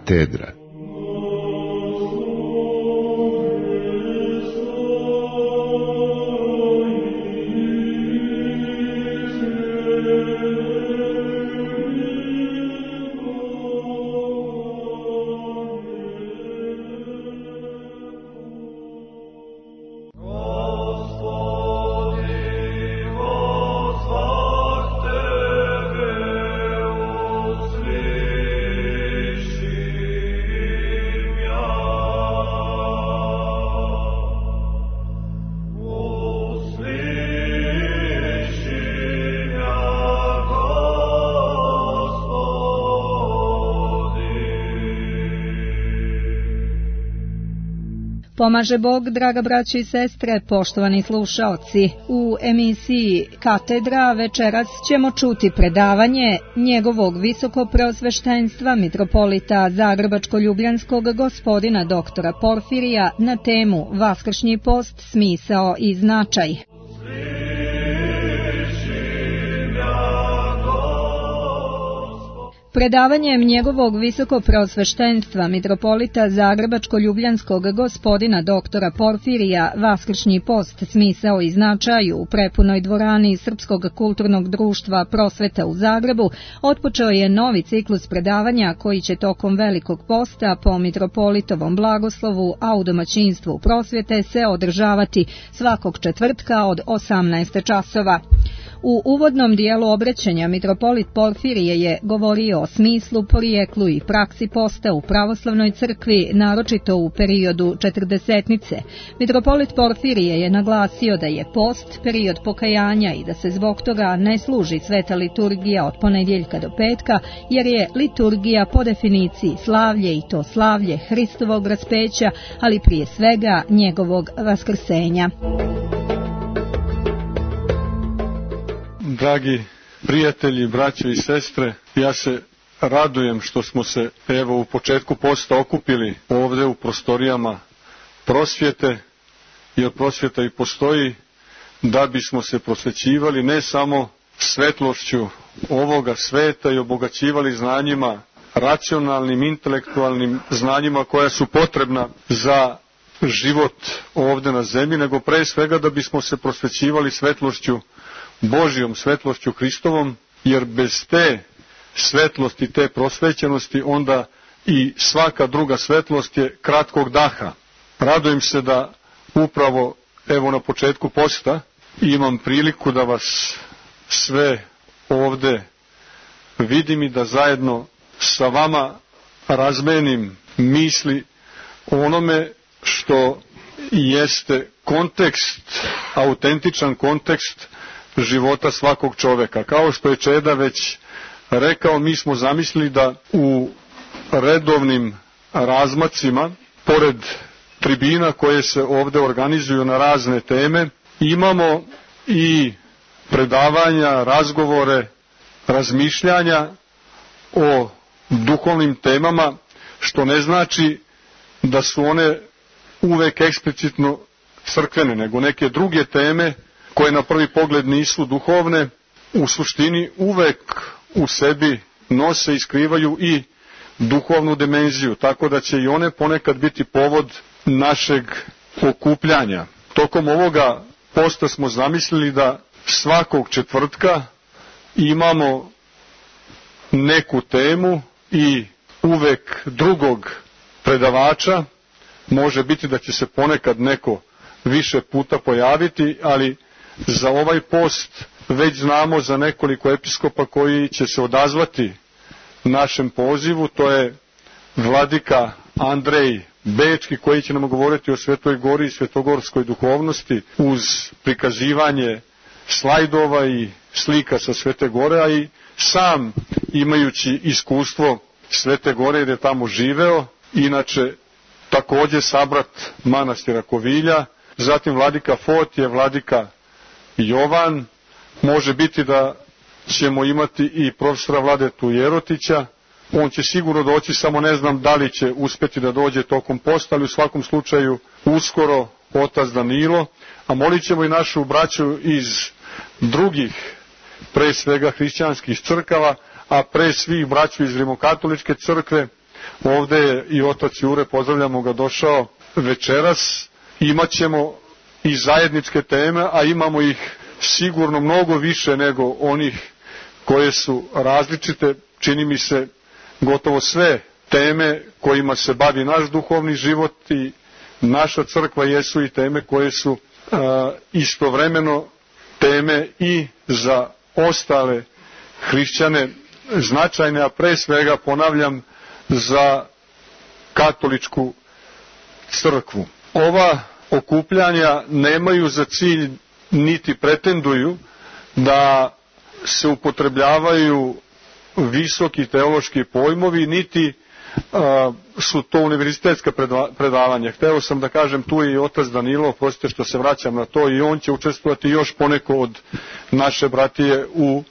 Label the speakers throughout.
Speaker 1: Katedra.
Speaker 2: Pomaže Bog, draga braći i sestre, poštovani slušaoci. U emisiji Katedra večeras ćemo čuti predavanje njegovog visokopreosveštenstva mitropolita Zagrebačko-ljubljanskog gospodina doktora Porfirija na temu Vaskršnji post, smisao i značaj. Predavanjem njegovog visokopreosveštenstva mitropolita Zagrebačko-ljubljanskog gospodina doktora Porfirija Vaskršnji post, smisao i značaj u prepunoj dvorani Srpskog kulturnog društva Prosveta u Zagrebu otpočeo je novi ciklus predavanja koji će tokom Velikog posta po mitropolitovom blagoslovu, a u domaćinstvu Prosvete se održavati svakog četvrtka od 18 časova. U uvodnom dijelu obraćanja mitropolit Porfirije je govorio o smislu, porijeklu i praksi posta u pravoslavnoj crkvi, naročito u periodu četrdesetnice. Mitropolit Porfirije je naglasio da je post period pokajanja i da se zbog toga ne služi sveta liturgija od ponedjeljka do petka, jer je liturgija po definiciji slavlje, i to slavlje Hristovog raspeća, ali prije svega njegovog vaskrsenja.
Speaker 3: Dragi prijatelji, braće i sestre, ja se radujem što smo se evo u početku posta okupili ovdje u prostorijama prosvjete, jer prosvjeta i postoji da bismo se prosvećivali ne samo svetlošću ovoga sveta i obogaćivali znanjima, racionalnim, intelektualnim znanjima koja su potrebna za život ovdje na zemlji, nego pre svega da bismo se prosvećivali svetlošću Božjom, svetlošću Hristovom, jer bez te svetlosti, te prosvećenosti, onda i svaka druga svetlost je kratkog daha. Radujem se da upravo evo na početku posta imam priliku da vas sve ovdje vidim i da zajedno sa vama razmenim misli o onome što jeste kontekst, autentičan kontekst života svakog čoveka. Kao što je Čeda već rekao, mi smo zamislili da u redovnim razmacima, pored tribina koje se ovdje organizuju na razne teme, imamo i predavanja, razgovore, razmišljanja o duhovnim temama, što ne znači da su one uvek eksplicitno crkvene, nego neke druge teme koje na prvi pogled nisu duhovne, u suštini uvek u sebi nose i skrivaju i duhovnu dimenziju, tako da će i one ponekad biti povod našeg okupljanja. Tokom ovoga posta smo zamislili da svakog četvrtka imamo neku temu i uvek drugog predavača. Može biti da će se ponekad neko više puta pojaviti, ali za ovaj post već znamo za nekoliko episkopa koji će se odazvati našem pozivu. To je vladika Andrej Bečki, koji će nam govoriti o Svetoj Gori i svetogorskoj duhovnosti uz prikazivanje slajdova i slika sa Svete Gore, a i sam imajući iskustvo Svete Gore jer je tamo živeo, inače također sabrat manastira Kovilja. Zatim vladika Fotije, vladika Jovan, može biti da ćemo imati i profesora Vladetu Jerotića. On će sigurno doći, samo ne znam da li će uspjeti da dođe tokom posta, ali u svakom slučaju uskoro otac Danilo, a molit ćemo i našu braću iz drugih, pre svega hrišćanskih crkava, a pre svih braću iz Rimokatoličke crkve, ovde je i otac Jure, pozdravljamo ga, došao večeras. Imaćemo i zajedničke teme, a imamo ih sigurno mnogo više nego onih koje su različite. Čini mi se gotovo sve teme kojima se bavi naš duhovni život i naša crkva jesu i teme koje su istovremeno teme i za ostale hrišćane značajne, a pre svega, ponavljam, za katoličku crkvu. Ova okupljanja nemaju za cilj niti pretenduju da se upotrebljavaju visoki teološki pojmovi, niti su to univerzitetska predavanja. Hteo sam da kažem, tu je i otac Danilo, prostite što se vraćam na to, i on će učestvovati još poneko od naše bratije u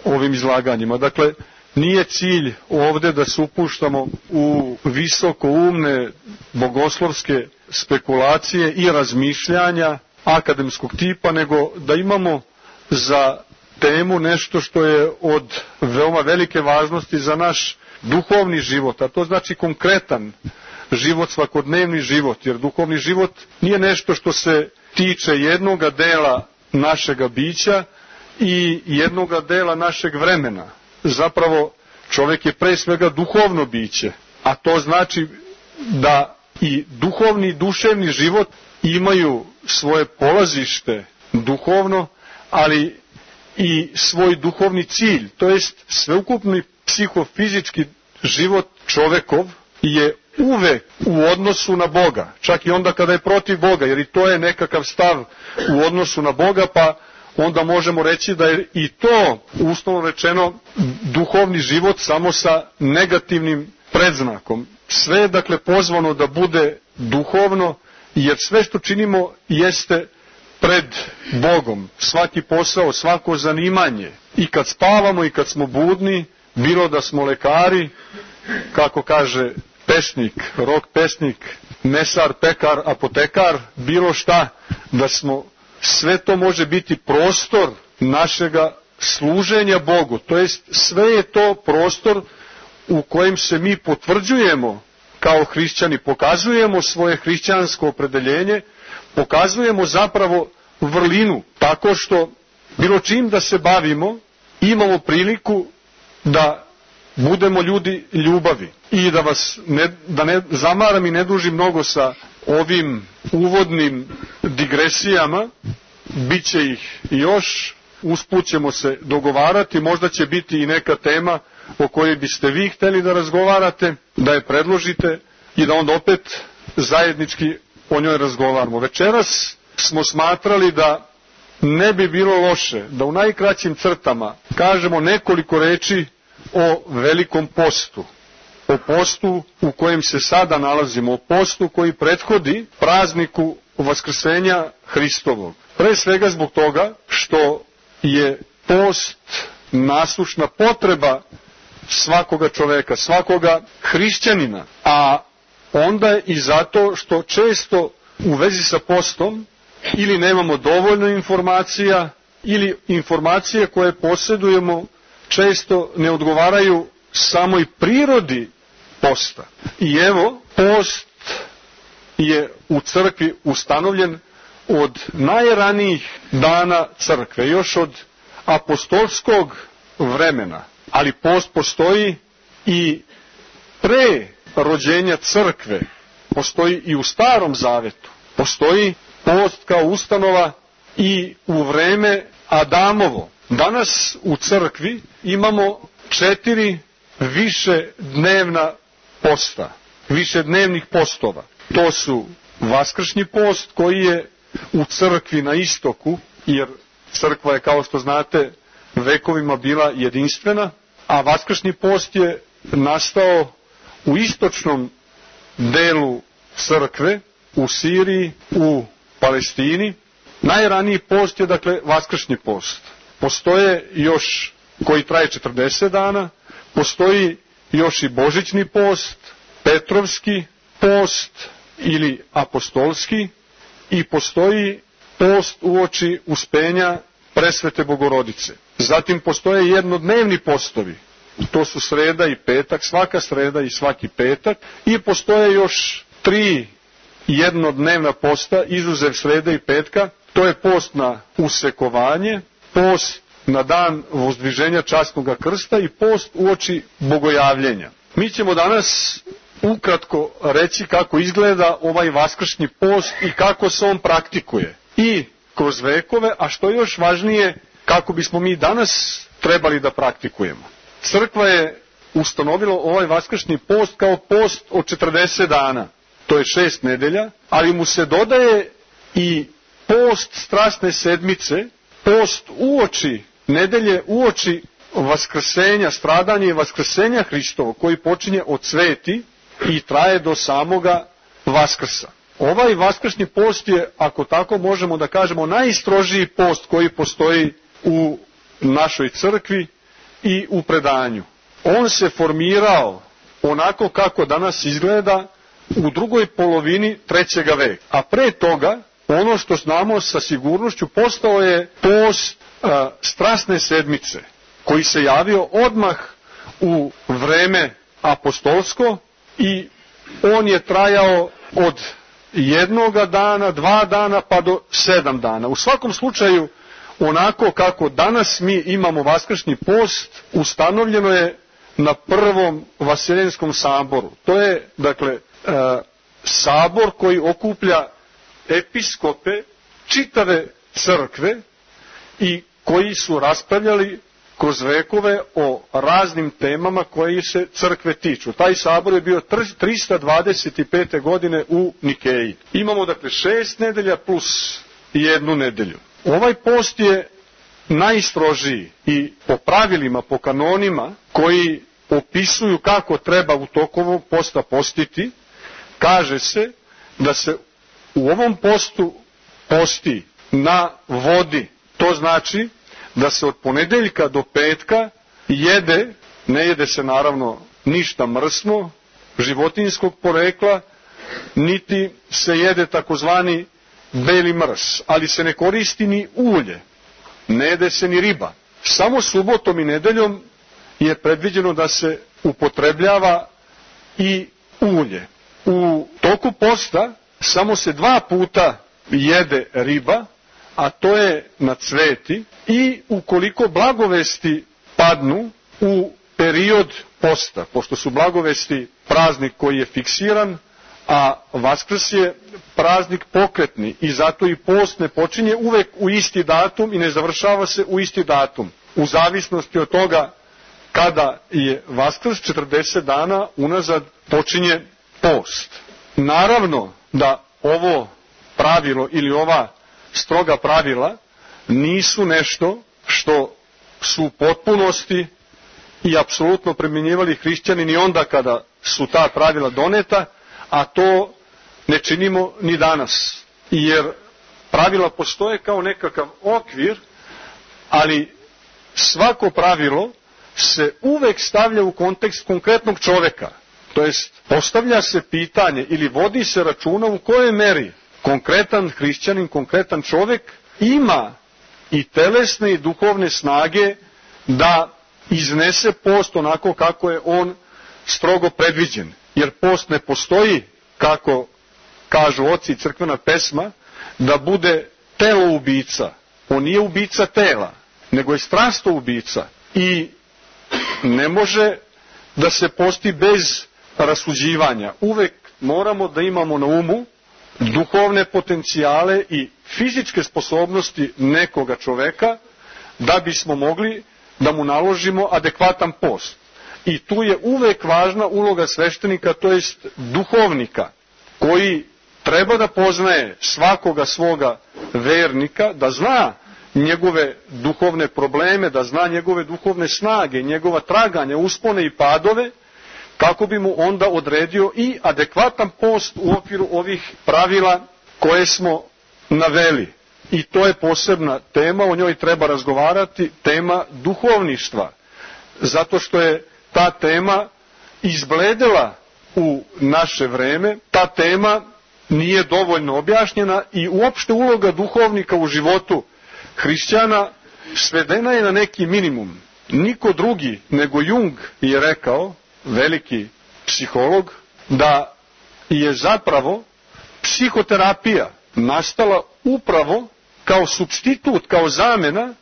Speaker 3: ovim izlaganjima. Dakle, nije cilj ovde da se upuštamo u visokoumne bogoslovske spekulacije i razmišljanja akademskog tipa, nego da imamo za temu nešto što je od veoma velike važnosti za naš duhovni život, a to znači konkretan život, svakodnevni život, jer duhovni život nije nešto što se tiče jednoga dela našega bića i jednoga dela našeg vremena. Zapravo čovjek je pre svega duhovno biće, a to znači da i duhovni i duševni život imaju svoje polazište duhovno, ali i svoj duhovni cilj, to jest sveukupni psihofizički život čovekov je uvek u odnosu na Boga, čak i onda kada je protiv Boga, jer i to je nekakav stav u odnosu na Boga, pa onda možemo reći da je i to, uslovno rečeno, duhovni život samo sa negativnim predznakom. Sve je dakle pozvano da bude duhovno, jer sve što činimo jeste pred Bogom. Svaki posao, svako zanimanje, i kad spavamo i kad smo budni, bilo da smo lekari, kako kaže pesnik, rok pesnik, mesar, pekar, apotekar, bilo šta, da smo, sve to može biti prostor našega služenja Bogu. To jest, sve je to prostor u kojem se mi potvrđujemo kao hrišćani, pokazujemo svoje hrišćansko opredeljenje, pokazujemo zapravo vrlinu, tako što bilo čim da se bavimo, imamo priliku da budemo ljudi ljubavi. I da vas ne zamaram i ne dužim mnogo sa ovim uvodnim digresijama, bit će ih još, usput ćemo se dogovarati, možda će biti i neka tema o kojoj biste vi hteli da razgovarate, da je predložite i da onda opet zajednički o njoj razgovaramo. Večeras smo smatrali da ne bi bilo loše da u najkraćim crtama kažemo nekoliko reči o velikom postu, o postu u kojem se sada nalazimo, o postu koji prethodi prazniku Vaskrsenja Hristovog. Pre svega zbog toga što je post nasušna potreba svakoga čoveka, svakoga hrišćanina, a onda i zato što često u vezi sa postom ili nemamo dovoljno informacija, ili informacije koje posjedujemo često ne odgovaraju samoj prirodi posta. I evo, post je u crkvi ustanovljen od najranijih dana crkve, još od apostolskog vremena, ali post postoji i pre rođenja crkve, postoji i u Starom Zavetu, postoji post kao ustanova i u vreme Adamovo. Danas u crkvi imamo 4 višednevna posta, višednevnih postova. To su Vaskršnji post koji je u crkvi na istoku, jer crkva je, kao što znate, vekovima bila jedinstvena, a Vaskršnji post je nastao u istočnom delu crkve, u Siriji, u Palestini. Najraniji post je, dakle, Vaskršnji post. Postoje još koji traje 40 dana, postoji još i Božićni post, Petrovski post ili apostolski, i postoji post uoči uspenja Presvete Bogorodice. Zatim postoje jednodnevni postovi, to su sreda i petak, svaka sreda i svaki petak, i postoje još 3 jednodnevna posta, izuzev srede i petka. To je post na usekovanje, post na dan vozdviženja časnog krsta i post uoči bogojavljenja. Mi ćemo danas ukratko reći kako izgleda ovaj vaskršnji post i kako se on praktikuje i kroz vekove, a što je još važnije, kako bismo mi danas trebali da praktikujemo. Crkva je ustanovila ovaj vaskršnji post kao post od 40 dana. To je 6 nedelja, ali mu se dodaje i post strasne sedmice, post uoči nedelje, uoči vaskrsenja, stradanja i vaskrsenja Hristovo, koji počinje od sveti i traje do samoga Vaskrsa. Ovaj vaskršnji post je, ako tako možemo da kažemo, najstrožiji post koji postoji u našoj crkvi i u predanju. On se formirao onako kako danas izgleda u drugoj polovini 3. veka. A pre toga, ono što znamo sa sigurnošću, postao je post strasne sedmice, koji se javio odmah u vreme apostolsko i on je trajao od 1 dana, 2 dana pa do 7 dana. U svakom slučaju, onako kako danas mi imamo vaskršnji post, ustanovljeno je na prvom Vaseljenskom saboru. To je, dakle, sabor koji okuplja episkope čitave crkve i koji su raspravljali kroz vekove o raznim temama koji se crkve tiču. Taj sabor je bio 325. godine u Nikeji. Imamo dakle 6 nedelja plus 1 nedelju. Ovaj post je najstrožiji i po pravilima, po kanonima koji opisuju kako treba u toku ovog posta postiti, kaže se da se u ovom postu posti na vodi. To znači da se od ponedeljka do petka jede, ne jede se naravno ništa mrsno, životinjskog porekla, niti se jede takozvani beli mrs, ali se ne koristi ni ulje, ne jede se ni riba. Samo subotom i nedeljom je predviđeno da se upotrebljava i ulje. U toku posta samo se 2 puta jede riba, a to je na cveti, i ukoliko blagovesti padnu u period posta, pošto su blagovesti praznik koji je fiksiran, a Vaskrs je praznik pokretni i zato i post ne počinje uvek u isti datum i ne završava se u isti datum. U zavisnosti od toga kada je Vaskrs, 40 dana unazad počinje post. Naravno da ovo pravilo ili ova stroga pravila nisu nešto što su u potpunosti i apsolutno primjenjivali hrišćani ni onda kada su ta pravila doneta, a to ne činimo ni danas. Jer pravila postoje kao nekakav okvir, ali svako pravilo se uvek stavlja u kontekst konkretnog čoveka. To jest, postavlja se pitanje ili vodi se računa u kojoj meri konkretan hrišćanin, konkretan čovek ima i telesne i duhovne snage da iznese post onako kako je on strogo predviđen. Jer post ne postoji, kako kažu oci i crkvena pesma, da bude telo ubica. On nije ubica tela, nego je strasto ubica. I ne može da se posti bez rasuđivanja. Uvek moramo da imamo na umu duhovne potencijale i fizičke sposobnosti nekoga čoveka da bismo mogli da mu naložimo adekvatan post. I tu je uvek važna uloga sveštenika, to jest duhovnika, koji treba da poznaje svakoga svoga vernika, da zna njegove duhovne probleme, da zna njegove duhovne snage, njegova traganja, uspone i padove, kako bi mu onda odredio i adekvatan post u okviru ovih pravila koje smo naveli. I to je posebna tema, o njoj treba razgovarati, tema duhovništva, zato što je ta tema izbledela u naše vreme, ta tema nije dovoljno objašnjena i uopšte uloga duhovnika u životu hrišćana svedena je na neki minimum. niko drugi nego Jung je rekao, veliki psiholog, da je zapravo psihoterapija nastala upravo kao supstitut, kao zamena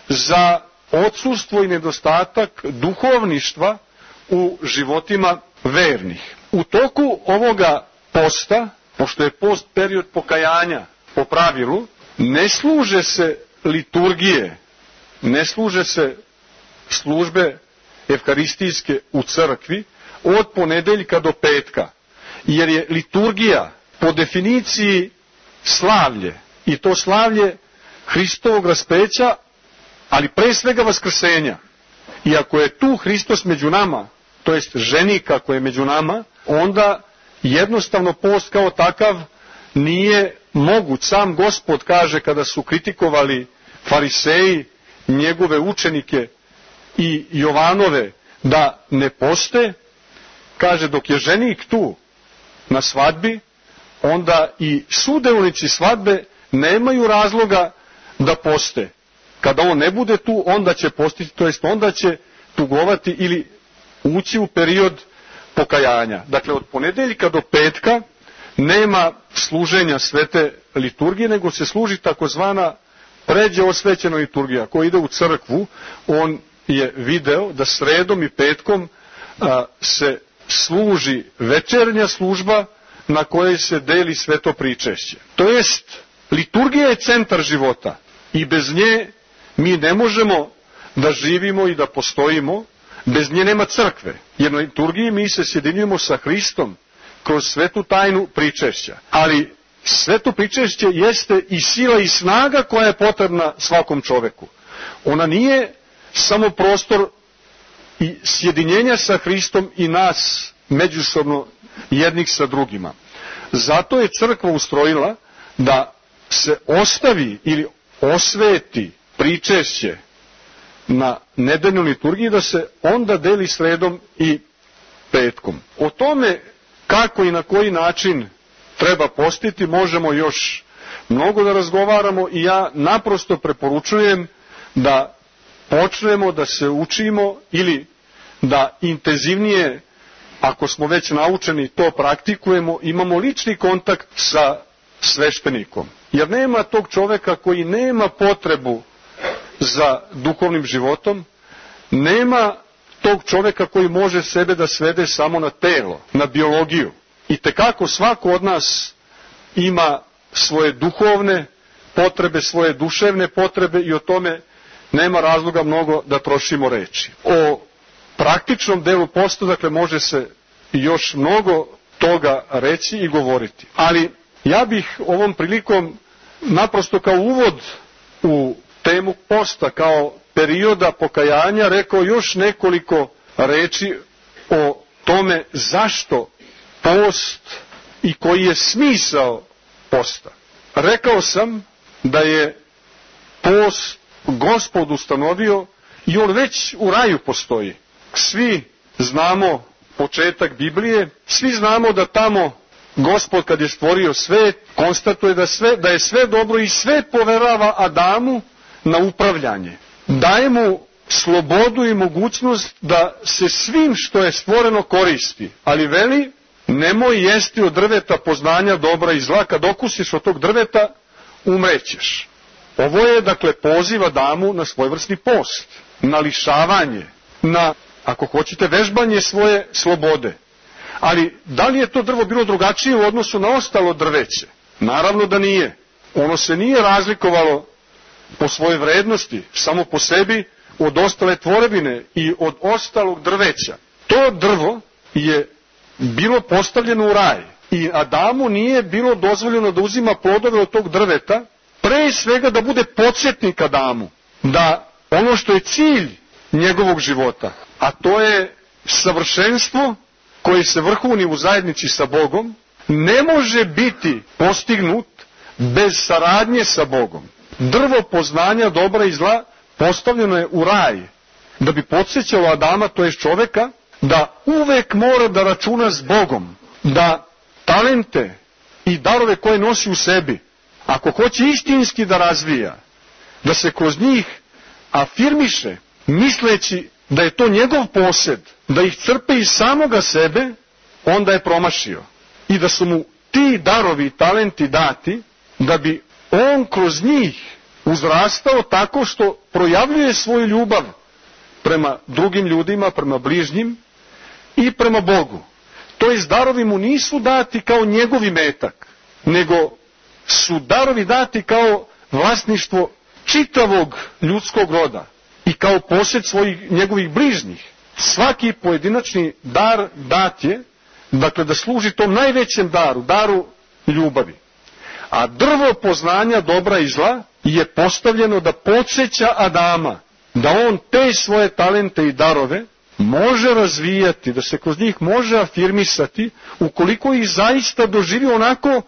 Speaker 3: za odsustvo i nedostatak duhovništva u životima vernih. U toku ovoga posta, pošto je post period pokajanja po pravilu, ne služe se liturgije, ne služe se službe evkaristijske u crkvi od ponedeljka do petka, jer je liturgija po definiciji slavlje, i to slavlje Hristovog raspeća, ali pre svega vaskrsenja. I ako je tu Hristos među nama, to jest ženik ako je među nama, onda jednostavno post kao takav nije moguć. Sam Gospod kaže, kada su kritikovali fariseji njegove učenike i Jovanove da ne poste, kaže, dok je ženik tu na svadbi, onda i sudeonici svadbe nemaju razloga da poste. Kada on ne bude tu, onda će postiti, to jest onda će tugovati ili ući u period pokajanja. Dakle, od ponedeljka do petka nema služenja svete liturgije, nego se služi takozvana pređe osvećena liturgija. Ko ide u crkvu, on je video da sredom i petkom se služi večernja služba na kojoj se deli sveto pričešće. To jest, liturgija je centar života i bez nje mi ne možemo da živimo i da postojimo, bez nje nema crkve. Jer na liturgiji mi se sjedinjujemo sa Hristom kroz svetu tajnu pričešća. Ali sveto pričešće jeste i sila i snaga koja je potrebna svakom čoveku. Ona nije samo prostor i sjedinjenja sa Hristom i nas međusobno jednih sa drugima. Zato je crkva ustrojila da se ostavi ili osveti pričešće na nedeljnoj liturgiji, da se onda deli sredom i petkom. O tome kako i na koji način treba postiti možemo još mnogo da razgovaramo i ja naprosto preporučujem da počnemo da se učimo ili da intenzivnije, ako smo već naučeni, to praktikujemo, imamo lični kontakt sa sveštenikom. Jer nema tog čoveka koji nema potrebu za duhovnim životom, nema tog čoveka koji može sebe da svede samo na telo, na biologiju. I tekako svako od nas ima svoje duhovne potrebe, svoje duševne potrebe i o tome nema razloga mnogo da trošimo reči. O praktičnom delu posta, dakle, može se još mnogo toga reći i govoriti. Ali ja bih ovom prilikom naprosto kao uvod u temu posta, kao perioda pokajanja, rekao još nekoliko reči o tome zašto post i koji je smisao posta. Rekao sam da je post Gospod ustanovio i on već u raju postoji. Svi znamo početak Biblije, svi znamo da tamo Gospod kad je stvorio svet, konstatuje da je sve dobro i sve poverava Adamu na upravljanje. Daje mu slobodu i mogućnost da se svim što je stvoreno koristi, ali veli, nemoj jesti od drveta poznanja dobra i zla, kad okusiš od tog drveta, umrećeš. Ovo je, dakle, poziv Adamu na svojevrsni post, na lišavanje, na, ako hoćete, vežbanje svoje slobode. Ali, da li je to drvo bilo drugačije u odnosu na ostalo drveće? Naravno da nije. Ono se nije razlikovalo po svojoj vrednosti, samo po sebi, od ostale tvorevine i od ostalog drveća. To drvo je bilo postavljeno u raj i Adamu nije bilo dozvoljeno da uzima plodove od tog drveta, pre svega da bude podsjetnik Adamu, da ono što je cilj njegovog života, a to je savršenstvo koje se vrhuni u zajednici sa Bogom, ne može biti postignut bez saradnje sa Bogom. Drvo poznanja dobra i zla postavljeno je u raj, da bi podsjećalo Adama, to je čoveka, da uvek mora da računa s Bogom, da talente i darove koje nosi u sebi, ako hoće istinski da razvija, da se kroz njih afirmiše misleći da je to njegov posed, da ih crpe iz samoga sebe, onda je promašio. I da su mu ti darovi i talenti dati, da bi on kroz njih uzrastao tako što projavljuje svoju ljubav prema drugim ljudima, prema bližnjim i prema Bogu. To jest, darovi mu nisu dati kao njegovi metak, nego su darovi dati kao vlasništvo čitavog ljudskog roda i kao posjed njegovih bližnjih. Svaki pojedinačni dar dat je, dakle, da služi tom najvećem daru, daru ljubavi. A drvo poznanja dobra i zla je postavljeno da podsjeća Adama, da on te svoje talente i darove može razvijati, da se kroz njih može afirmisati, ukoliko ih zaista doživi onako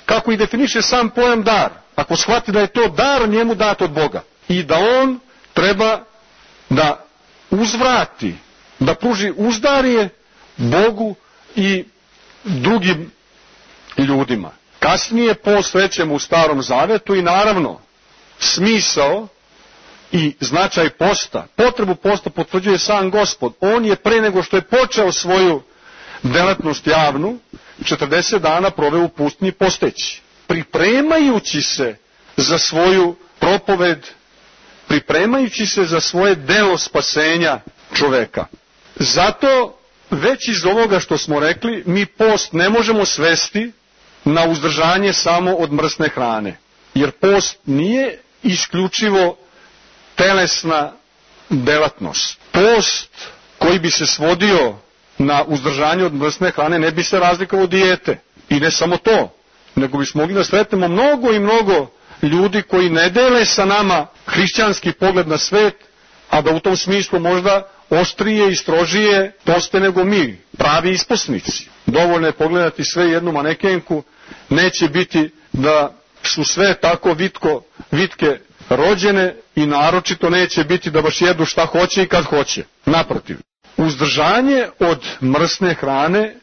Speaker 3: kako i definiše sam pojam dar. Ako shvati da je to dar njemu dat od Boga i da on treba da uzvrati, da pruži uzdarje Bogu i drugim ljudima. Kasnije posvećemo u Starom Zavetu i naravno smisao i značaj posta, potrebu posta potvrđuje sam Gospod. On je pre nego što je počeo svoju delatnost javnu, 40 dana proveo u pustinji posteći, pripremajući se za svoju propoved, pripremajući se za svoje delo spasenja čoveka. Zato već iz ovoga što smo rekli, mi post ne možemo svesti na uzdržanje samo od mrsne hrane, jer post nije isključivo telesna delatnost. Post koji bi se svodio na uzdržanje od mrsne hrane ne bi se razlikovao od dijete. I ne samo to, nego bismo mogli da sretnemo mnogo i mnogo ljudi koji ne dele sa nama hrišćanski pogled na svet, a da u tom smislu možda oštrije i strožije poste nego mi, pravi isposnici. Dovoljno je pogledati sve jednu manekenku, neće biti da su sve tako vitke rođene i naročito neće biti da baš jedu šta hoće i kad hoće. Naprotiv, uzdržanje od mrsne hrane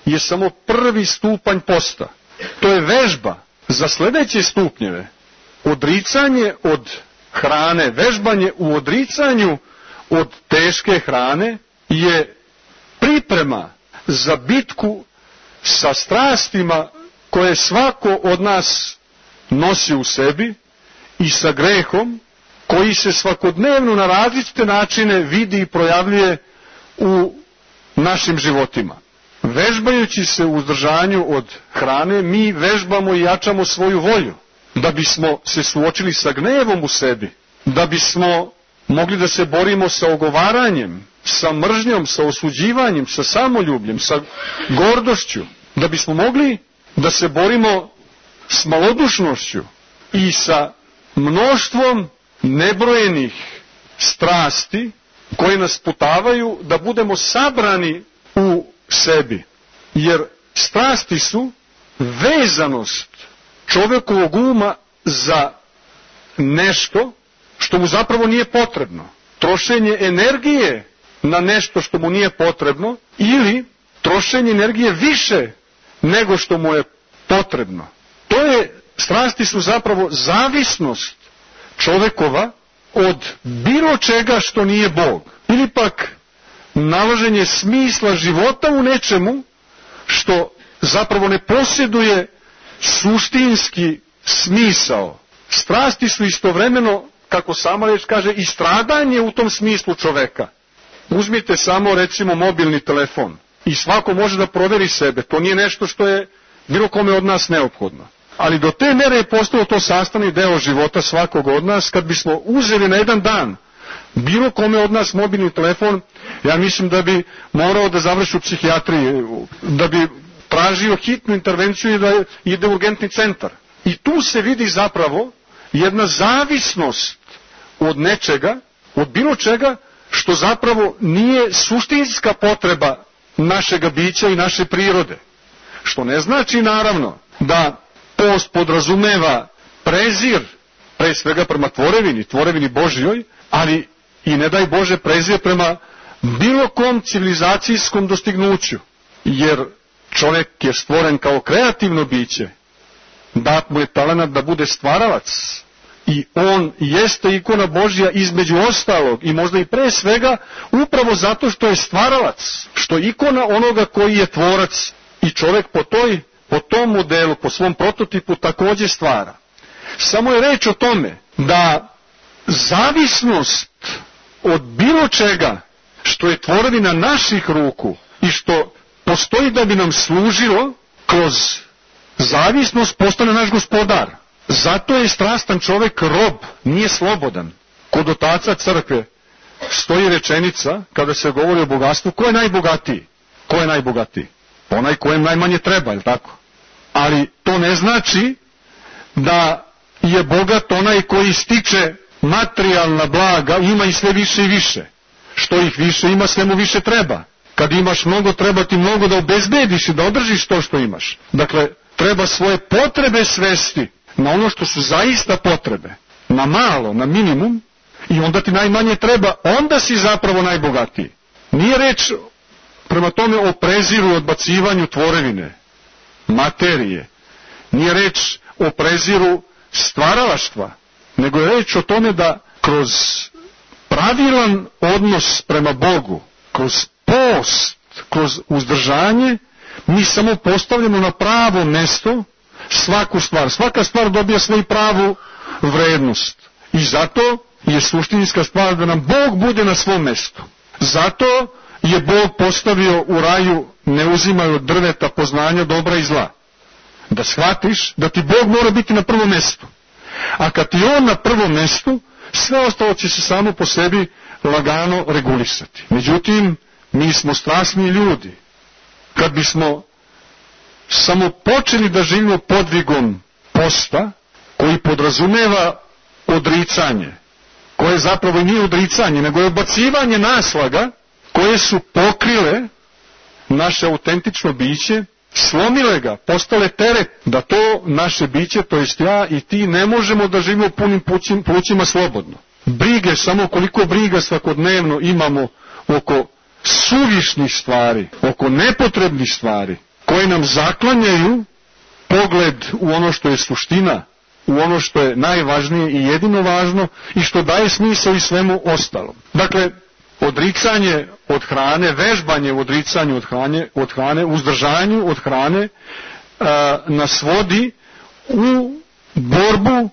Speaker 3: je samo prvi stupanj posta. To je vežba za sledeće stupnjeve. Odricanje od hrane, vežbanje u odricanju od teške hrane je priprema za bitku sa strastima koje svako od nas nosi u sebi i sa grehom koji se svakodnevno na različite načine vidi i projavljuje u našim životima. Vežbajući se u uzdržanju od hrane, mi vežbamo i jačamo svoju volju, da bismo se suočili sa gnevom u sebi, da bismo mogli da se borimo sa ogovaranjem, sa mržnjom, sa osuđivanjem, sa samoljubljem, sa gordošću, da bismo mogli da se borimo s malodušnošću i sa mnoštvom nebrojenih strasti koje nas putavaju da budemo sabrani u sebi. Jer strasti su vezanost čovekovog uma za nešto što mu zapravo nije potrebno. Trošenje energije na nešto što mu nije potrebno ili trošenje energije više nego što mu je potrebno. Strasti su zapravo zavisnost čovekova od bilo čega što nije Bog. Ili pak nalaženje smisla života u nečemu što zapravo ne posjeduje suštinski smisao. Strasti su istovremeno, kako sama reč kaže, i stradanje u tom smislu čoveka. Uzmite samo recimo mobilni telefon i svako može da proveri sebe. To nije nešto što je bilo kome od nas neophodno. Ali do te mere je postalo to sastavni deo života svakog od nas. Kad bismo uzeli na jedan dan bilo kome od nas mobilni telefon, ja mislim da bi morao da završi u psihijatriji, da bi tražio hitnu intervenciju i da ide u urgentni centar. I tu se vidi zapravo jedna zavisnost od nečega, od bilo čega što zapravo nije suštinska potreba našega bića i naše prirode. Što ne znači naravno da post podrazumeva prezir, pre svega prema tvorevini Božjoj, ali i ne daj Bože prezir prema bilo kom civilizacijskom dostignuću. Jer čovjek je stvoren kao kreativno biće, dat mu je talenat da bude stvaralac I on jeste ikona Božja između ostalog i možda i pre svega upravo zato što je stvaralac, što je ikona onoga koji je tvorac i čovjek po tom modelu, po svom prototipu također stvara. Samo je reč o tome da zavisnost od bilo čega što je tvorevina naših ruku i što postoji da bi nam služilo, kroz zavisnost postane naš gospodar. Zato je strastan čovjek rob, nije slobodan. Kod otaca crkve stoji rečenica, kada se govori o bogatstvu, ko je najbogatiji? Ko je najbogatiji? Onaj kojem najmanje treba, je li tako? Ali to ne znači da je bogat onaj koji stiče materijalna blaga, ima i sve više i više. Što ih više ima, sve mu više treba. Kad imaš mnogo, treba ti mnogo da obezbediš i da održiš to što imaš. Dakle, treba svoje potrebe svesti na ono što su zaista potrebe, na malo, na minimum, i onda ti najmanje treba, onda si zapravo najbogatiji. Nije reč prema tome o preziru, odbacivanju tvorevine, materije, nije reč o preziru stvaralaštva, nego je reč o tome da kroz pravilan odnos prema Bogu, kroz post, kroz uzdržanje, mi samo postavljamo na pravo mesto svaku stvar. Svaka stvar dobija svoju pravu vrednost. I zato je suštinska stvar da nam Bog bude na svom mestu. Zato je Bog postavio u raju ne uzimaju od drveta poznanja dobra i zla. Da shvatiš da ti Bog mora biti na prvom mestu. A kad ti on na prvom mestu, sve ostalo će se samo po sebi lagano regulisati. Međutim, mi smo strasni ljudi. Kad bismo samo počeli da živimo podvigom posta, koji podrazumeva odricanje, koje zapravo nije odricanje, nego je odbacivanje naslaga koje su pokrile naše autentično biće, slomile ga, postale teret, da to naše biće, to jest ja i ti, ne možemo da živimo punim plućima slobodno. Brige, samo koliko briga svakodnevno imamo oko suvišnih stvari, oko nepotrebnih stvari, koje nam zaklanjaju pogled u ono što je suština, u ono što je najvažnije i jedino važno i što daje smisao i svemu ostalom. Dakle, odricanje od hrane, vežbanje u odricanju od hrane, uzdržanju od hrane, nas vodi u borbu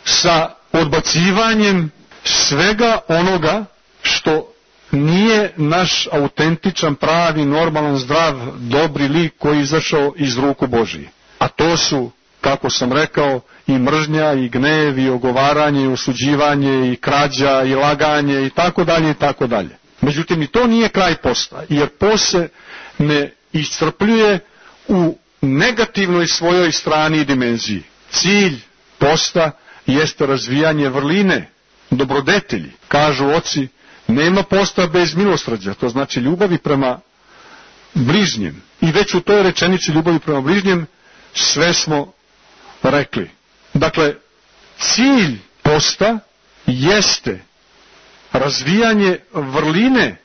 Speaker 3: sa odbacivanjem svega onoga što nije naš autentičan, pravi, normalan, zdrav, dobri lik koji je izašao iz ruku Božije. A to su, kako sam rekao, i mržnja, i gnev, i ogovaranje, i osuđivanje, i krađa, i laganje, i tako dalje, i tako dalje. Međutim, i to nije kraj posta, jer post se ne iscrpljuje u negativnoj svojoj strani i dimenziji. Cilj posta jeste razvijanje vrline, dobrodetelji. Kažu oci, nema posta bez milosrđa, to znači ljubavi prema bližnjem. I već u toj rečenici ljubavi prema bližnjem sve smo rekli. Dakle, cilj posta jeste razvijanje vrline,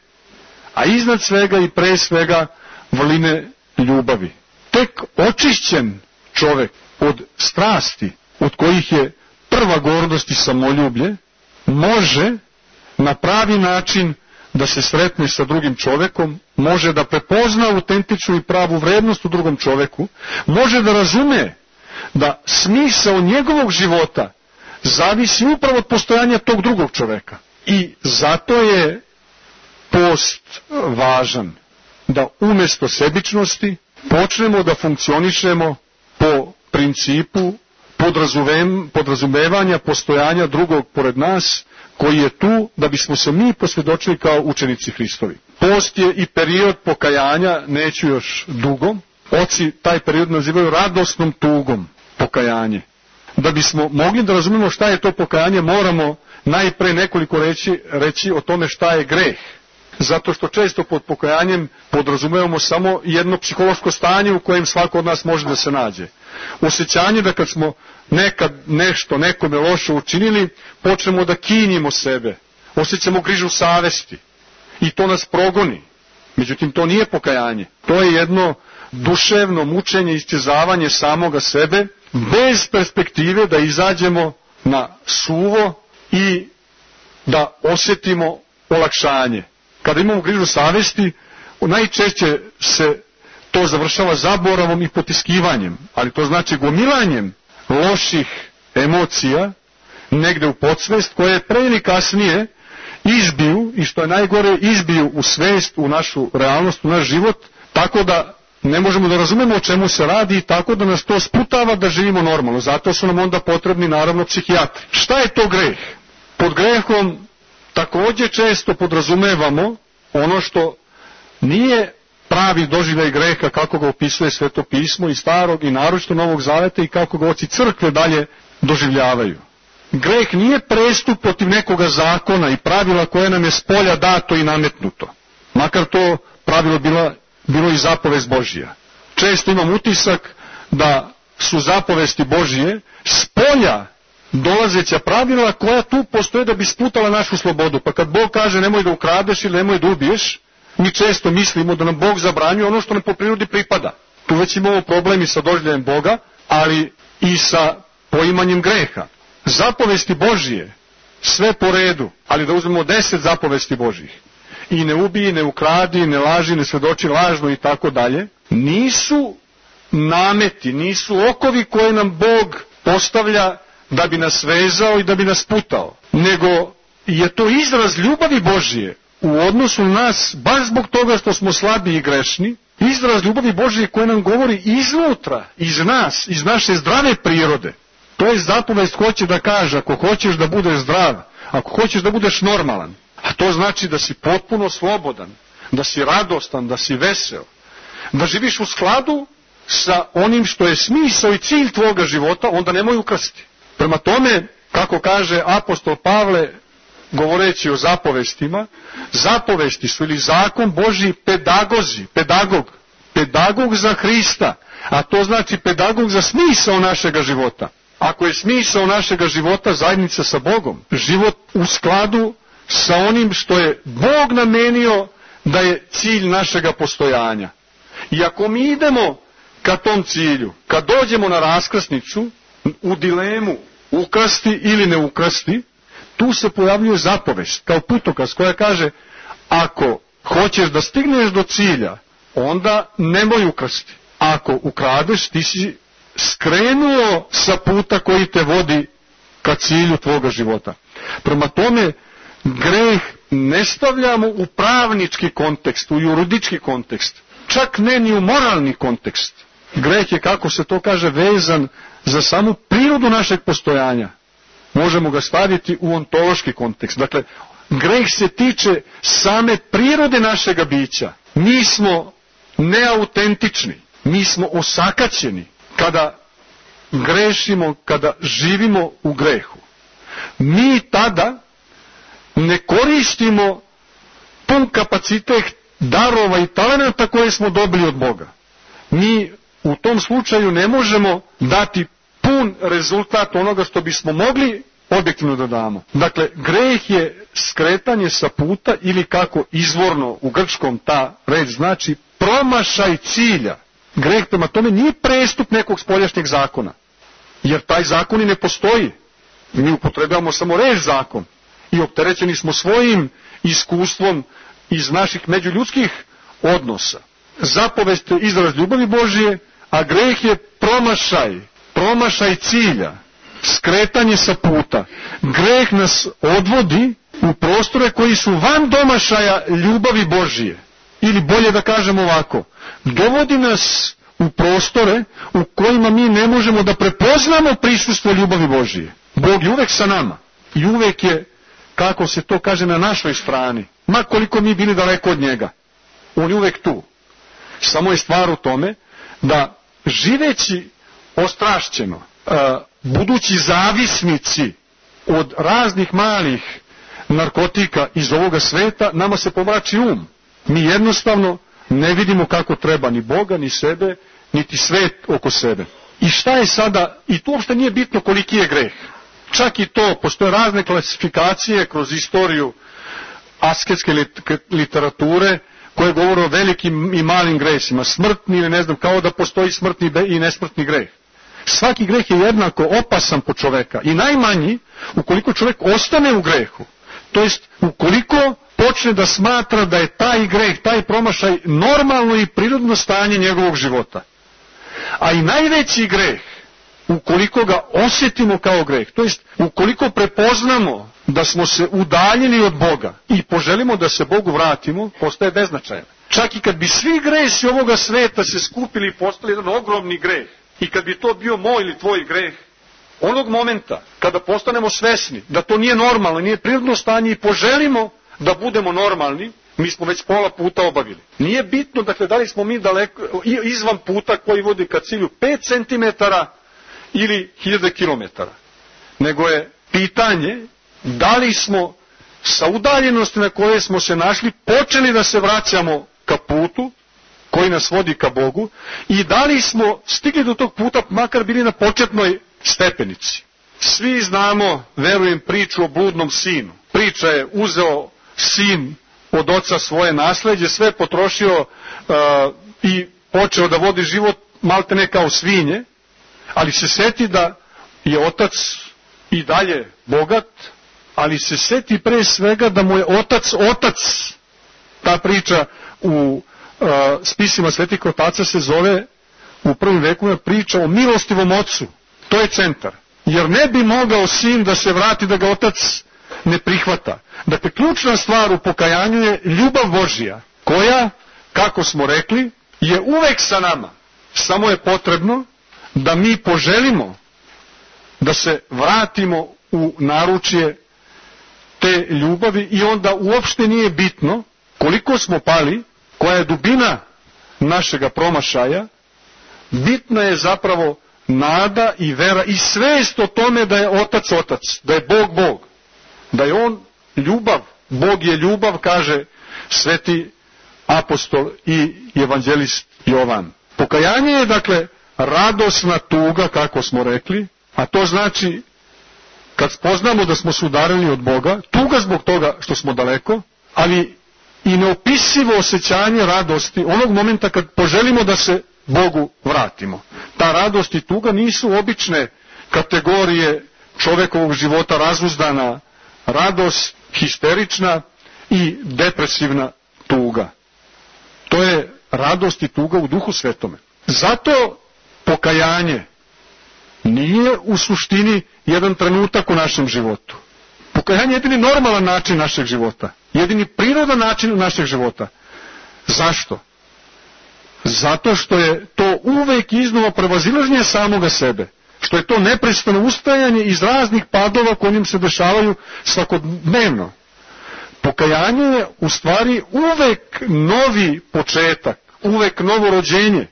Speaker 3: a iznad svega i pre svega vrline ljubavi. Tek očišćen čovek od strasti, od kojih je prva gordost i samoljublje, može na pravi način da se sretne sa drugim čovekom, može da prepozna autentičnu i pravu vrednost u drugom čoveku, može da razume da smisao njegovog života zavisi upravo od postojanja tog drugog čoveka. I zato je post važan, da umjesto sebičnosti počnemo da funkcionišemo po principu podrazumevanja postojanja drugog pored nas, koji je tu da bismo se mi posvjedočili kao učenici Hristovi. Post je i period pokajanja, neću još dugo. Oci taj period nazivaju radosnom tugom pokajanje. Da bismo mogli da razumemo šta je to pokajanje, moramo najpre nekoliko reći o tome šta je greh. Zato što često pod pokajanjem podrazumevamo samo jedno psihološko stanje u kojem svako od nas može da se nađe. Osjećanje da kad smo nekad nešto nekome loše učinili, počnemo da kinjimo sebe, osjećamo grižu savesti i to nas progoni. Međutim, to nije pokajanje. To je jedno duševno mučenje, isčezavanje samoga sebe, bez perspektive da izađemo na suvo i da osjetimo olakšanje. Kada imamo grižu savesti, najčešće se to završava zaboravom i potiskivanjem, ali to znači gomilanjem loših emocija negde u podsvest, koje pre ili kasnije izbiju, i što je najgore, izbiju u svest, u našu realnost, u naš život, tako da ne možemo da razumemo o čemu se radi i tako da nas to sputava da živimo normalno. Zato su nam onda potrebni naravno psihijatri. Šta je to greh? Pod grehom takođe često podrazumevamo ono što nije pravi doživljaj greha kako ga opisuje Sveto pismo i Starog i naročito Novog Zaveta i kako ga oci crkve dalje doživljavaju. Greh nije prestup protiv nekoga zakona i pravila koje nam je spolja dato i nametnuto. Makar to pravilo bilo i zapovest Božija. Često imam utisak da su zapovesti Božije spolja dolazeća pravila koja tu postoje da bi sputala našu slobodu. Pa kad Bog kaže nemoj da ukradeš ili nemoj da ubiješ, mi često mislimo da nam Bog zabranjuje ono što nam po prirodi pripada. Tu već imamo problemi sa doživljajem Boga, ali i sa poimanjem greha. Zapovesti Božije, sve po redu, ali da uzmemo 10 zapovesti Božjih. I ne ubiji, ne ukradi, ne laži, ne svedoči lažno i tako dalje, nisu nameti, nisu okovi koje nam Bog postavlja da bi nas vezao i da bi nas putao, nego je to izraz ljubavi Božije u odnosu na nas, baš zbog toga što smo slabi i grešni, izraz ljubavi Božije koje nam govori iznutra, iz nas, iz naše zdrave prirode. To je zapovest hoće da kaže, ako hoćeš da budeš zdrav, ako hoćeš da budeš normalan, a to znači da si potpuno slobodan, da si radostan, da si vesel, da živiš u skladu sa onim što je smisao i cilj tvoga života, onda nemoj ukrasti. Prema tome, kako kaže apostol Pavle, govoreći o zapovestima, zapovesti su ili zakon Božji pedagozi, pedagog za Hrista, a to znači pedagog za smisao našega života. Ako je smisao našega života zajednica sa Bogom, život u skladu sa onim što je Bog namenio da je cilj našega postojanja. I ako mi idemo ka tom cilju, kad dođemo na raskrsnicu, u dilemu ukrasti ili ne ukrasti, tu se pojavljuje zapovest kao putokaz koja kaže ako hoćeš da stigneš do cilja, onda nemoj ukrasti. Ako ukradeš, ti si skrenuo sa puta koji te vodi ka cilju tvoga života. Prema tome, greh ne stavljamo u pravnički kontekst, u juridički kontekst, čak ne ni u moralni kontekst. Greh je, kako se to kaže, vezan za samu prirodu našeg postojanja. Možemo ga staviti u ontološki kontekst. Dakle, greh se tiče same prirode našega bića. Mi smo neautentični, mi osakaćeni kada grešimo, kada živimo u grehu. Mi tada ne koristimo pun kapacitet darova i talenata koje smo dobili od Boga. Mi u tom slučaju ne možemo dati pun rezultat onoga što bismo mogli objektivno da damo. Dakle, greh je skretanje sa puta ili kako izvorno u grčkom ta reč znači promašaj cilja. Greh prema tome nije prestup nekog spoljašnjeg zakona, jer taj zakon i ne postoji. Mi upotrebljavamo samo reč zakon i opterećeni smo svojim iskustvom iz naših međuljudskih odnosa. Zapovest je izraz ljubavi Božije, a greh je promašaj cilja, skretanje sa puta. Greh nas odvodi u prostore koji su van domašaja ljubavi Božije. Ili bolje da kažem ovako, dovodi nas u prostore u kojima mi ne možemo da prepoznamo prisustvo ljubavi Božije. Bog je uvek sa nama i uvek je, kako se to kaže, na našoj strani. Ma koliko mi bili daleko od njega, on je uvek tu. Samo je stvar u tome da živeći ostrašćeno, budući zavisnici od raznih malih narkotika iz ovoga sveta, nama se pomrači Mi jednostavno ne vidimo kako treba ni Boga, ni sebe, niti svet oko sebe. I šta je sada, i to uopšte nije bitno koliki je greh. Čak i to, postoje razne klasifikacije kroz istoriju asketske literature koje govore o velikim i malim gresima, smrtni ili ne znam, kao da postoji smrtni i nesmrtni greh. Svaki greh je jednako opasan po čoveka i najmanji ukoliko čovjek ostane u grehu. To jest ukoliko počne da smatra da je taj greh, taj promašaj normalno i prirodno stanje njegovog života. A i najveći greh, ukoliko ga osjetimo kao greh, to jest ukoliko prepoznamo da smo se udaljili od Boga i poželimo da se Bogu vratimo, postaje beznačajan. Čak i kad bi svi gresi ovoga sveta se skupili i postali jedan ogromni greh, i kad bi to bio moj ili tvoj greh, onog momenta kada postanemo svesni da to nije normalno, nije prirodno stanje i poželimo da budemo normalni, mi smo već pola puta obavili. Nije bitno, dakle, da li smo mi daleko, izvan puta koji vodi ka cilju 5 cm ili 1000 km, nego je pitanje da li smo sa udaljenosti na koje smo se našli počeli da se vraćamo ka putu koji nas vodi ka Bogu i da li smo stigli do tog puta makar bili na početnoj stepenici. Svi znamo, verujem, priču o bludnom sinu. Priča je uzeo sin od oca svoje nasleđe, sve potrošio i počeo da vodi život maltene kao svinje, ali se seti da je otac i dalje bogat, ali se seti pre svega da mu je otac. Ta priča u spisima svetih otaca se zove u prvim vekovima priča o milostivom ocu. To je centar. Jer ne bi mogao sin da se vrati da ga otac ne prihvata. Dakle, ključna stvar u pokajanju je ljubav Božja, koja, kako smo rekli, je uvek sa nama. Samo je potrebno da mi poželimo da se vratimo u naručje te ljubavi i onda uopšte nije bitno koliko smo pali, koja je dubina našega promašaja, bitna je zapravo nada i vera i svest o tome da je Otac Otac, da je Bog Bog, da je On ljubav, Bog je ljubav, kaže sveti apostol i evanđelist Jovan. Pokajanje je, dakle, radosna tuga, kako smo rekli, a to znači kad spoznamo da smo se udarili od Boga, tuga zbog toga što smo daleko, ali i neopisivo osjećanje radosti onog momenta kad poželimo da se Bogu vratimo. Ta radost i tuga nisu obične kategorije čovekovog života, razuzdana radost, histerična i depresivna tuga. To je radost i tuga u Duhu Svetome. Zato pokajanje nije u suštini jedan trenutak u našem životu. Pokajanje je jedini normalan način našeg života, jedini prirodan način našeg života. Zašto? Zato što je to uvek iznova prevazilaženje samoga sebe, što je to neprestano ustajanje iz raznih padova koji im se dešavaju svakodnevno. Pokajanje je u stvari uvek novi početak, uvek novo rođenje,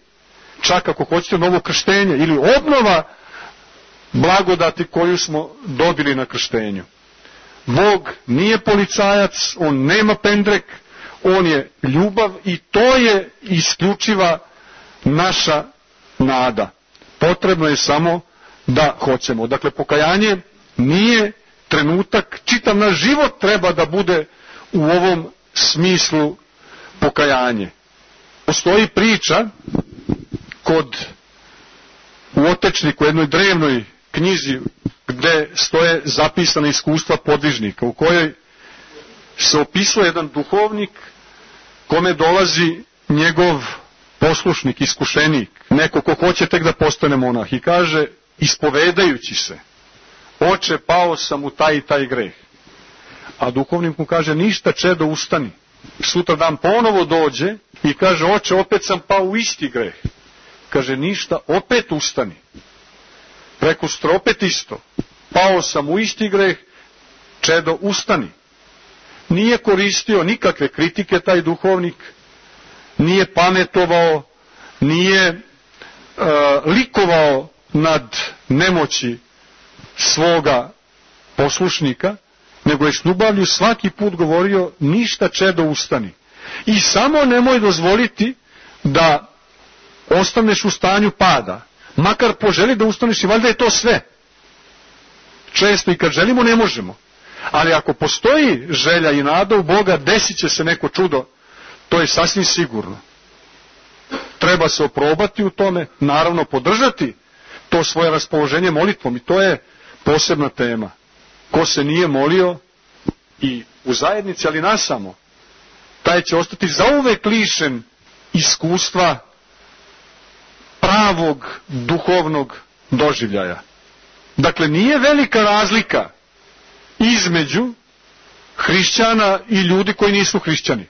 Speaker 3: čak ako hoćete novo krštenje ili obnova blagodati koju smo dobili na krštenju. Bog nije policajac, On nema pendrek, On je ljubav i to je isključiva naša nada. Potrebno je samo da hoćemo. Dakle, pokajanje nije trenutak, čitav naš život treba da bude u ovom smislu pokajanje. Postoji priča u Otečniku, jednoj drevnoj knjizi, gde stoje zapisana iskustva podvižnika, u kojoj se opisuje jedan duhovnik kome dolazi njegov poslušnik, iskušenik, neko ko hoće tek da postane monah i kaže, ispovedajući se, oče, pao sam u taj i taj greh. A duhovnik mu kaže, ništa, čedo, ustani. Sutra dan ponovo dođe i kaže, oče, opet sam pao u isti greh. Kaže, ništa, opet ustani. Prekustra, opet isto. Pao sam u isti greh, čedo, ustani. Nije koristio nikakve kritike taj duhovnik, nije pametovao, nije likovao nad nemoći svoga poslušnika, nego je s ljubavlju svaki put govorio, ništa, čedo, ustani. I samo nemoj dozvoliti da ostaneš u stanju pada. Makar poželi da ustaneš i valjda je to sve. Često i kad želimo ne možemo. Ali ako postoji želja i nada u Boga, desit će se neko čudo, to je sasvim sigurno. Treba se oprobati u tome, naravno podržati to svoje raspoloženje molitvom i to je posebna tema. Ko se nije molio i u zajednici, ali nasamo, taj će ostati zauvek lišen iskustva pravog duhovnog doživljaja. Dakle, nije velika razlika između hrišćana i ljudi koji nisu hrišćani.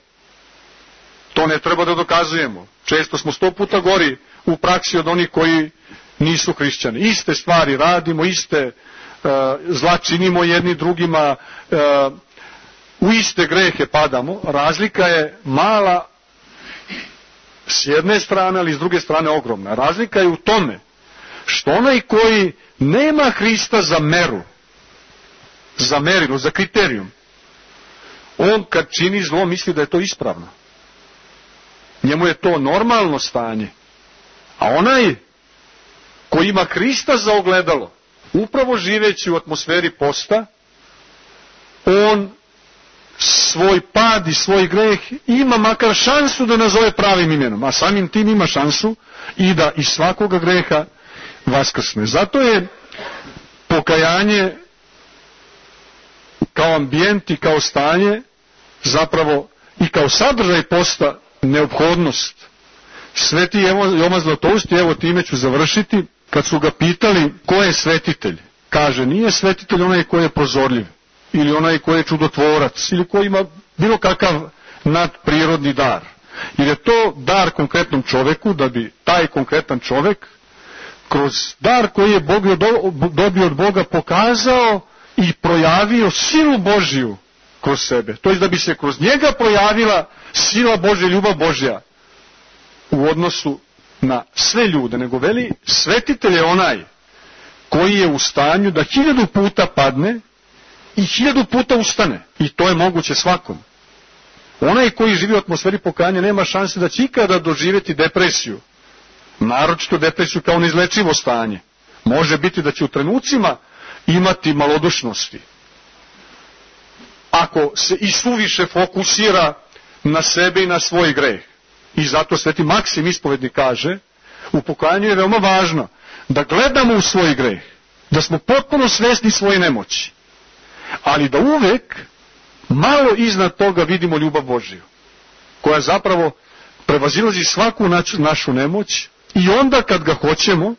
Speaker 3: To ne treba da dokazujemo. Često smo 100 puta gori u praksi od onih koji nisu hrišćani. Iste stvari radimo, iste zla činimo jedni drugima, u iste grehe padamo. Razlika je mala s jedne strane, ali s druge strane ogromna. Razlika je u tome što onaj koji nema Hrista za meru, za merilo, za kriterijum, on kad čini zlo misli da je to ispravno. Njemu je to normalno stanje. A onaj koji ima Hrista za ogledalo, upravo živeći u atmosferi posta, on svoj pad i svoj greh ima makar šansu da nazove pravim imenom, a samim tim ima šansu i da iz svakoga greha vaskrsne. Zato je pokajanje kao ambijent i kao stanje zapravo i kao sadržaj posta neophodnost. Sveti Jovan Zlatoust, evo time ću završiti, kad su ga pitali ko je svetitelj, kaže nije svetitelj onaj koji je prozorljiv ili onaj koji je čudotvorac ili koji ima bilo kakav nadprirodni dar, jer je to dar konkretnom čoveku, da bi taj konkretan čovek kroz dar koji je Bog dobio od Boga pokazao i projavio silu Božiju kroz sebe. To je da bi se kroz njega projavila sila Božja, ljubav Božja u odnosu na sve ljude. Nego veli, svetitelj je onaj koji je u stanju da 1000 puta padne i 1000 puta ustane. I to je moguće svakom. Onaj koji živi u atmosferi pokajanja nema šanse da će ikada doživjeti depresiju. Naročito depresiju kao neizlečivo stanje. Može biti da će u trenucima imati malodušnosti. Ako se i suviše fokusira na sebe i na svoj greh. I zato sveti Maksim ispovednik kaže, u pokajanju je veoma važno da gledamo u svoj greh, da smo potpuno svesni svoje nemoći, ali da uvek malo iznad toga vidimo ljubav Božiju, koja zapravo prevazilazi svaku našu nemoć i onda kad ga hoćemo,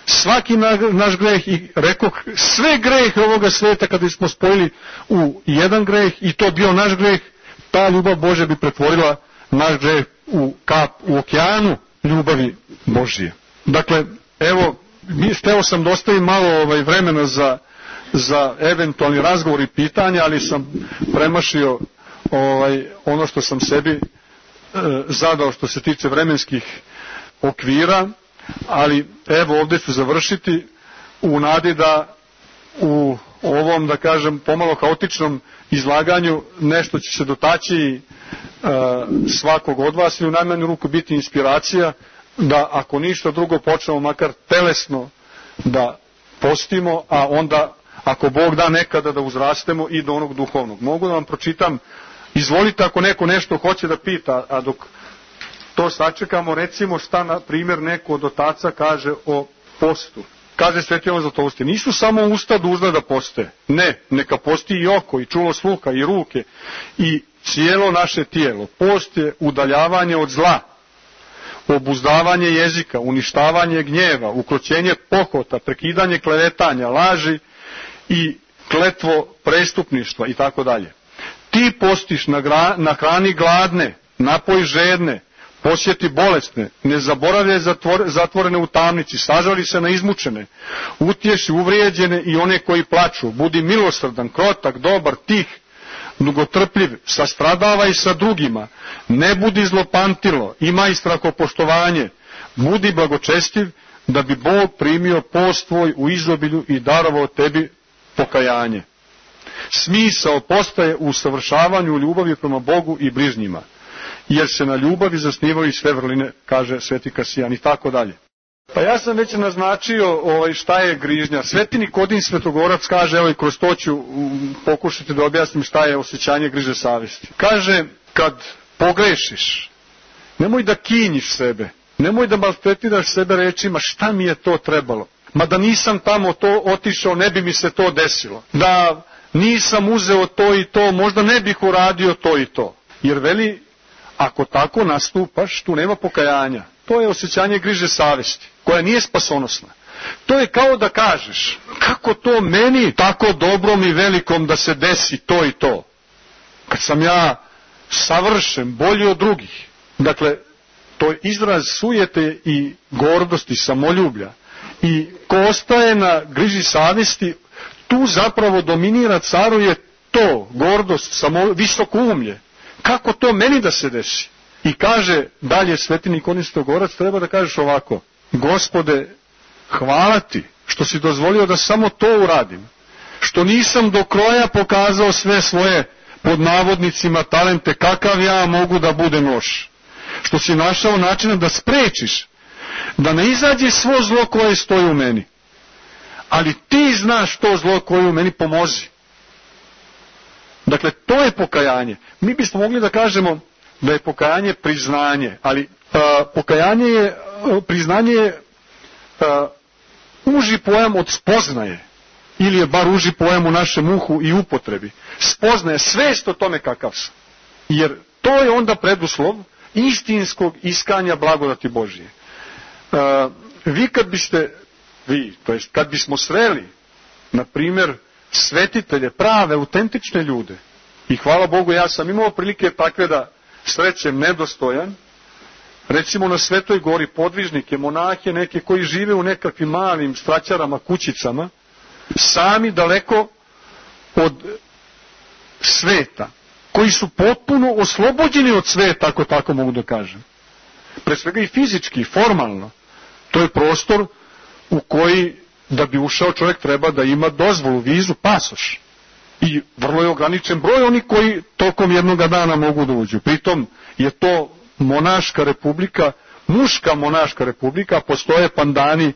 Speaker 3: svaki naš greh, i rekoh, sve grehe ovoga sveta kada smo spojili u jedan greh i to bio naš greh, ta ljubav Božja bi pretvorila naš greh u kap u okeanu ljubavi Božije. Dakle, evo, hteo sam da ostavim malo vremena za eventualni razgovor i pitanja, ali sam premašio ono što sam sebi zadao što se tiče vremenskih okvira, ali evo ovdje ću završiti u nadi da u ovom, da kažem, pomalo haotičnom izlaganju nešto će se dotaći svakog od vas i u najmanju ruku biti inspiracija da ako ništa drugo počnemo makar telesno da postimo, a onda ako Bog da nekada da uzrastemo i do onog duhovnog. Mogu da vam pročitam, izvolite ako neko nešto hoće da pita, a dok to sačekamo, recimo šta na primjer neko od otaca kaže o postu. Kaže Sveti Jovan Zlatoust, nisu samo usta dužna da poste, ne, neka posti i oko, i čulo sluha, i ruke, i cijelo naše tijelo. Post je udaljavanje od zla, obuzdavanje jezika, uništavanje gnjeva, ukroćenje pohota, prekidanje klevetanja, laži i kletvo prestupništva i tako dalje. Ti postiš na hrani gladne, napoj žedne, posjeti bolesne, ne zaboravljaj zatvorene u tamnici, sažali se na izmučene, utješi uvrijeđene i one koji plaču, budi milosrdan, krotak, dobar, tih, dugotrpljiv, sastradavaj sa drugima, ne budi zlopamtilo, imaj strahopoštovanje, budi blagočestiv, da bi Bog primio post tvoj u izobilju i darovao tebi pokajanje. Smisao postaje u usavršavanju ljubavi prema Bogu i bližnjima, jer se na ljubavi zasnivaju sve vrline, kaže Sveti Kasijan i tako dalje. Pa ja sam već naznačio šta je grižnja. Sveti Nikodin Svetogorac kaže, evo i kroz to ću pokušati da objasnim šta je osjećanje griže savjesti. Kaže, kad pogrešiš, nemoj da kinjiš sebe, Nemoj da maltretiraš sebe rečima šta mi je to trebalo. Ma da nisam tamo to otišao, ne bi mi se to desilo. Da nisam uzeo to i to, možda ne bih uradio to i to. Jer veli, ako tako nastupaš, tu nema pokajanja. To je osjećanje griže savesti, koja nije spasonosna. To je kao da kažeš, kako to meni tako dobrom i velikom da se desi to i to. Kad sam ja savršen, bolji od drugih. Dakle, to je izraz sujete i gordosti, samoljublja. I ko ostaje na griži savesti, tu zapravo dominira, caruje to, gordost, visokoumlje. Kako to meni da se desi? I kaže dalje sveti Nikodim Svetogorac, treba da kažeš ovako, Gospode, hvala ti što si dozvolio da samo to uradim, što nisam do kroja pokazao sve svoje, pod navodnicima, talente, kakav ja mogu da budem loš, što si našao načina da sprečiš, da ne izađe svo zlo koje stoji u meni, ali ti znaš to zlo koje u meni, pomozi. Dakle, to je pokajanje. Mi bismo mogli da kažemo da je pokajanje priznanje, ali priznanje je uži pojam od spoznaje, ili je bar uži pojam u našem uhu i upotrebi. Spoznaje, svest o tome kakav sam. Jer to je onda preduslov istinskog iskanja blagodati Božije. Kad bismo sreli, na primjer, svetitelje, prave, autentične ljude, i hvala Bogu, ja sam imao prilike takve da srećem nedostojan, recimo na Svetoj gori podvižnike, monahe, neke koji žive u nekakvim malim straćarama, kućicama, sami daleko od sveta, koji su potpuno oslobođeni od sveta, ako tako mogu da kažem. Pre svega i fizički, i formalno. To je prostor u koji, da bi ušao čovjek, treba da ima dozvolu, vizu, pasoš. I vrlo je ograničen broj onih koji tokom jednog dana mogu da uđu. Pritom je to monaška republika, muška monaška republika, postoje pandani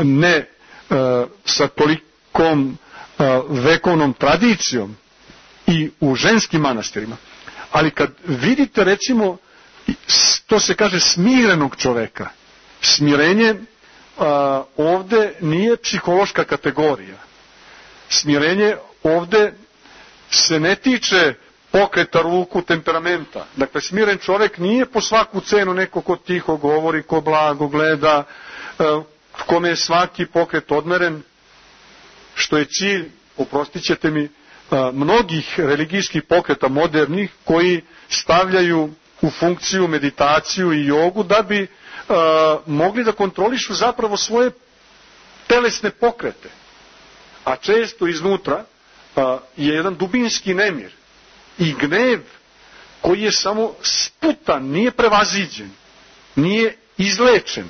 Speaker 3: ne sa tolikom vekovnom tradicijom i u ženskim manastirima. Ali kad vidite, recimo, to se kaže smirenog čoveka, smirenje ovde nije psihološka kategorija. Smirenje ovde se ne tiče pokreta ruku, temperamenta. Dakle, smiren čovek nije po svaku cenu neko ko tiho govori, ko blago gleda, kome je svaki pokret odmeren, što je cilj, oprostit ćete mi, mnogih religijskih pokreta modernih koji stavljaju u funkciju meditaciju i jogu da bi mogli da kontrolišu zapravo svoje telesne pokrete. A često iznutra je jedan dubinski nemir i gnev koji je samo sputan, nije prevaziđen, nije izlečen.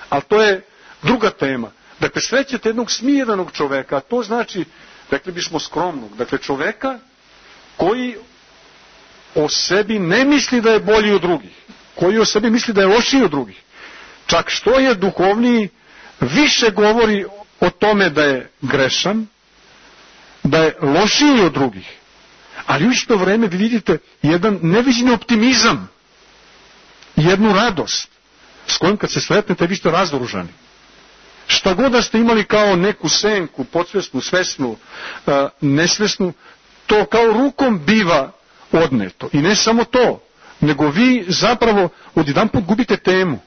Speaker 3: Ali to je druga tema. Dakle, srećete jednog smirenog čoveka, a to znači, rekli bismo, skromnog. Dakle, čoveka koji o sebi ne misli da je bolji od drugih, koji o sebi misli da je lošiji od drugih. Čak što je duhovniji, više govori o tome da je grešan, da je lošiji od drugih. Ali u isto vreme vi vidite jedan neviđeni optimizam, jednu radost s kojom kad se sretnete vi ste razoružani. Šta god da ste imali kao neku senku, podsvesnu, svesnu, nesvesnu, to kao rukom biva odneto. I ne samo to, nego vi zapravo odjedanput gubite temu.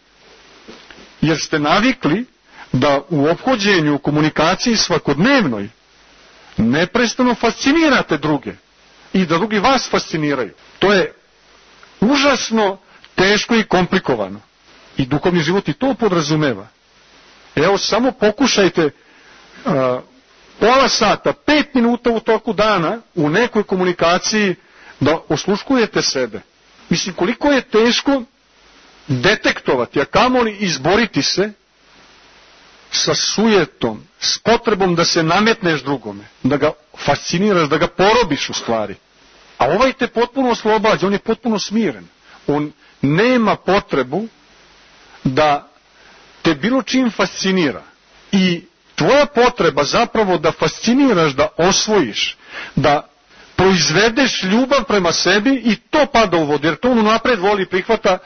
Speaker 3: Jer ste navikli da u ophođenju, u komunikaciji svakodnevnoj neprestano fascinirate druge i da drugi vas fasciniraju. To je užasno teško i komplikovano. I duhovni život i to podrazumeva. Evo, samo pokušajte pola sata, 5 minuta u toku dana u nekoj komunikaciji da osluškujete sebe. Mislim, koliko je teško detektovati, a kamoli izboriti se sa sujetom, s potrebom da se nametneš drugome, da ga fasciniraš, da ga porobiš u stvari. A ovaj te potpuno oslobađa, on je potpuno smiren. On nema potrebu da te bilo čim fascinira. I tvoja potreba zapravo da fasciniraš, da osvojiš, da proizvedeš ljubav prema sebi i to pada u vodu, jer to on napred voli, prihvata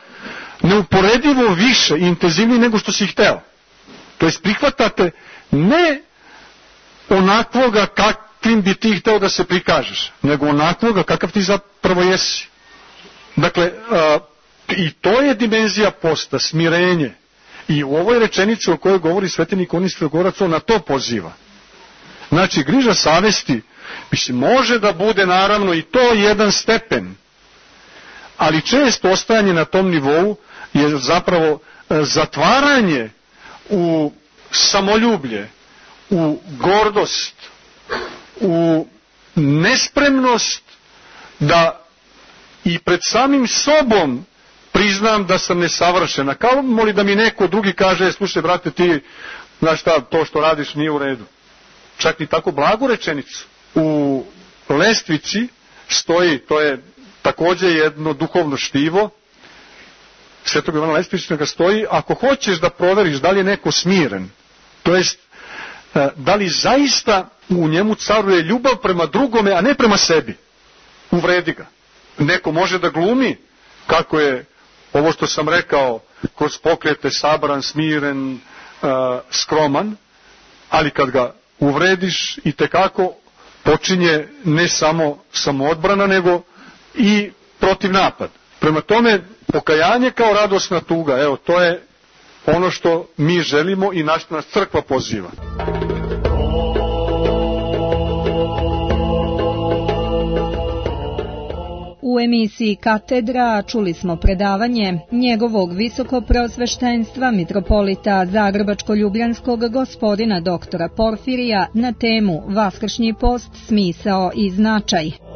Speaker 3: neuporedivo više i intenzivniji nego što si hteo. To jest prihvatate ne onakvoga kakvim bi ti hteo da se prikažeš, nego onakvoga kakav ti zapravo jesi. Dakle, i to je dimenzija posta, smirenje. I u ovoj rečenici o kojoj govori svetenik Onis Svegorac, on na to poziva. Znači, griža savesti, mislim, može da bude naravno i to jedan stepen, ali često ostajanje na tom nivou je zapravo zatvaranje u samoljublje, u gordost, u nespremnost da i pred samim sobom priznam da sam nesavršena. Kao moli da mi neko drugi kaže, slušaj brate, ti, znaš šta, to što radiš nije u redu. Čak ni tako blagu rečenicu. U lestvici stoji, to je takođe jedno duhovno štivo, Svetog Ivana Lestvičnega stoji, ako hoćeš da proveriš da li je neko smiren, to jest da li zaista u njemu caruje ljubav prema drugome, a ne prema sebi, uvredi ga. Neko može da glumi kako je ovo što sam rekao, kroz pokrete sabran, smiren, skroman, ali kad ga uvrediš i tekako počinje ne samo samoodbrana, nego i protiv napad. Prema tome, pokajanje kao radosna tuga, evo, to je ono što mi želimo i nas crkva poziva.
Speaker 2: U emisiji Katedra čuli smo predavanje njegovog visokopreosveštenstva mitropolita Zagrebačko-ljubljanskog gospodina doktora Porfirija na temu Vaskršnji post, smisao i značaj.